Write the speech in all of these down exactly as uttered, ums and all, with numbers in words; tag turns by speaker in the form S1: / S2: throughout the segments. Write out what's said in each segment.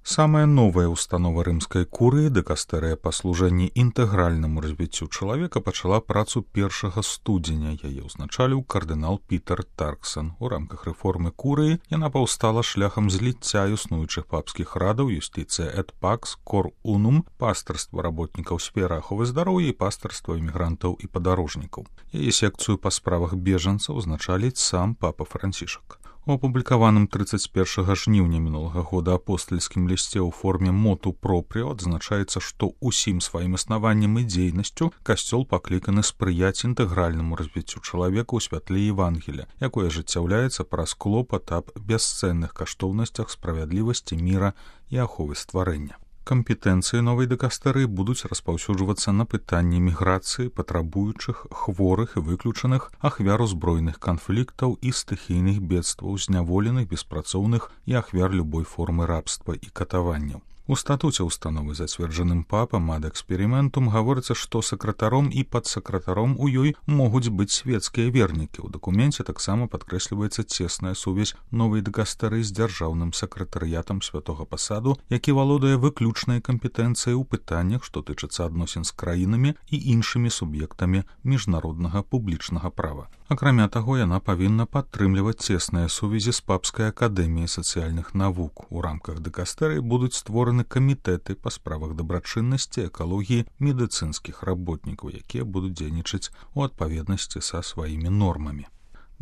S1: Самая новая установа рымскай курыі дыкастэрыя па служэнні інтэгральнаму развіццю чалавека пачала працу першага студзеня. Яе ўзначаліў кардынал Пітер Тарксон. У рамках рэформы курыі яна паўстала шляхам зліцця існуючых папскіх радаў юстыцыя эт пакс, кор унум, пастырства работнікаў сферы аховы здароўя і пастырства імігрантаў і падарожнікаў. Яе секцыю па справах бежанцаў узначаліць сам папа Францішак. У апублікаваным трыццаць першага жніўня мінулага года апостальскім лісце ў форме моту пропріо адзначаецца, што ўсім сваім існаваннем і дзейнасцю касцёл пакліканы спрыяць інтэгральнаму развіццю чалавека ў святле Евангелія, якое ажыццяўляецца праз клопат аб бясцэнных каштоўнасцях справядлівасці, міра і аховы стварэння. Кампетэнцыі новай дыкастэрыі будуць распаўсюджвацца на пытанні міграцыі, патрабуючых, хворых і выключаных, ахвяр узброеных канфліктаў і стыхійных бедстваў, зняволеных, беспрацоўных і ахвяр любой формы рабства і катаванняў. У статуце установы, зацверджаным папам ад эксперыментум, гаворыцца, што сакратаром і падсакратаром у ёй могуць быць свецкія вернікі. У дакуменце таксама падкрэсліваецца цесная сувязь новай дыкастэрыі з дзяржаўным сакратарыятам святога пасаду, які валодае выключнай кампетэнцыяй у пытаннях, што тычацца адносін з краінамі і іншымі суб'ектамі міжнароднага публічнага права. Акрамя таго, яна павінна падтрымліваць цесныя сувязі з папскай акадэміяй сацыяльных навук. У рамках дыкастэрыі будуць створаны камітэты па справах дабрачыннасці, экалогіі, медыцынскіх работнікаў, якія будуць дзейнічаць у адпаведнасці са сваімі нормамі.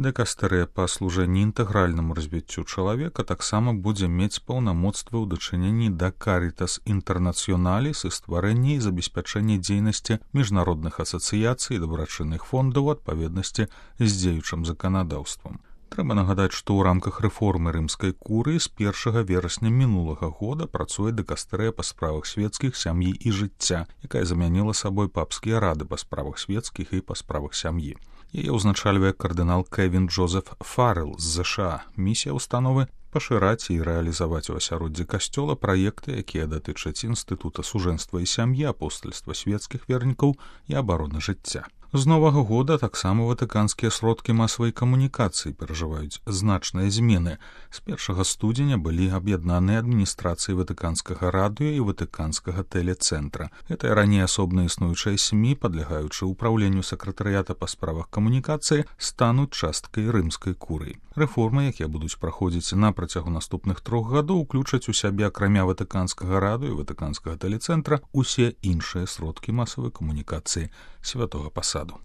S1: Дыкастэрыя па служэнні інтэгральнаму развіццю чалавека таксама будзе мець паўнамоцтвы ў дачыненні да Карітас Інтэрнацыёналіс і стварэння і забеспячэння дзейнасці міжнародных асацыяцый і дабрачынных фондаў у адпаведнасці з дзеючым заканадаўствам. Трэба нагадаць, што ў рамках рэформы рымскай курыі з першага верасня мінулага года працуе дыкастэрыя па справах свецкіх, сям'і і жыцця, якая замяніла сабой папскія рады па справах свецкіх і па справах сям'і. Яе ўзначальвае кардынал Кевін Джозеф Фаррелл з ЗША. Місія установы – пашыраць і рэалізаваць у асяроддзі касцёла праекты, якія датычаць інстытута сужэнства і сям'і, апостальства свецкіх вернікаў і абароны жыцця. З новага года таксама ватыканскія сродкі масавай камунікацыі перажываюць значныя змены. З першага студзеня былі аб'яднаныя адміністрацыі ватыканскага радыё і ватыканскага тэлецэнтра. Гэтыя раней асобна існуючыя СМІ, падлягаючы ўпраўленню сакратарыята па справах камунікацыі, стануць часткай рымскай курыі. Рэформы, якія будуць праходзіць на працягу наступных трох гадоў, уключаць у сябе, акрамя ватыканскага радыё і ватыканскага тэлецэнтра, усе іншыя сродкі масавай камунікацыі святога пасаду.